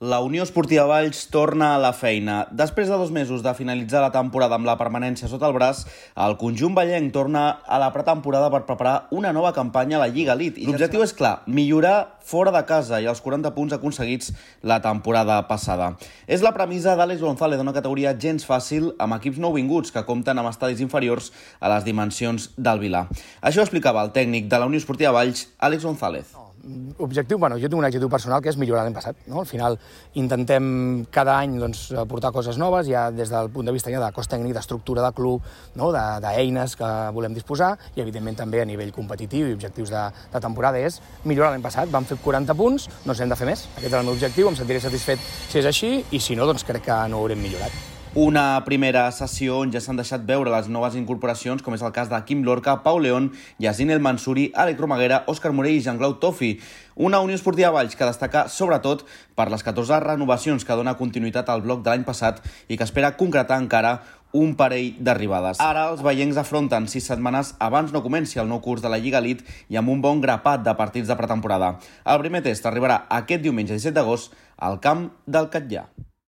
La Unió Esportiva Valls torna a la feina. Després de 2 mesos de finalitzar la temporada amb la permanència sota el braç, el conjunt vallenc torna a la pretemporada per preparar una nova campanya a la Lliga Elite. L'objectiu és clar, millorar fora de casa i els 40 punts aconseguits la temporada passada. És la premissa d'Àlex González d'una categoria gens fàcil amb equips nouvinguts que compten amb estadis inferiors a les dimensions del Vilar. Això ho explicava el tècnic de la Unió Esportiva Valls, Àlex González. Objectiu, jo tinc un objectiu personal que és millorar l'any passat. No? Al final intentem cada any portar coses noves, ja des del punt de vista de cos tècnic, d'estructura de club, no? d'eines que volem disposar i evidentment també a nivell competitiu i objectius de temporada és millorar l'any passat. Vam fer 40 punts, no ens hem de fer més. Aquest era el meu objectiu, em sentiré satisfet si és així i si no, doncs crec que no ho haurem millorat. Una primera sessió on ja s'han deixat veure les noves incorporacions, com és el cas de Quim Lorca, Pau León, Yacine El Mansuri, Àlex Romaguera, Òscar Morell i Jean-Claude Tofi. Una Unió Esportiva Valls que destaca sobretot per les 14 renovacions que dona continuïtat al bloc de l'any passat i que espera concretar encara un parell d'arribades. Ara els veiencs afronten 6 setmanes abans no comenci el nou curs de la Lliga Elite i amb un bon grapat de partits de pretemporada. El primer test arribarà aquest diumenge 17 d'agost al camp del Catllà.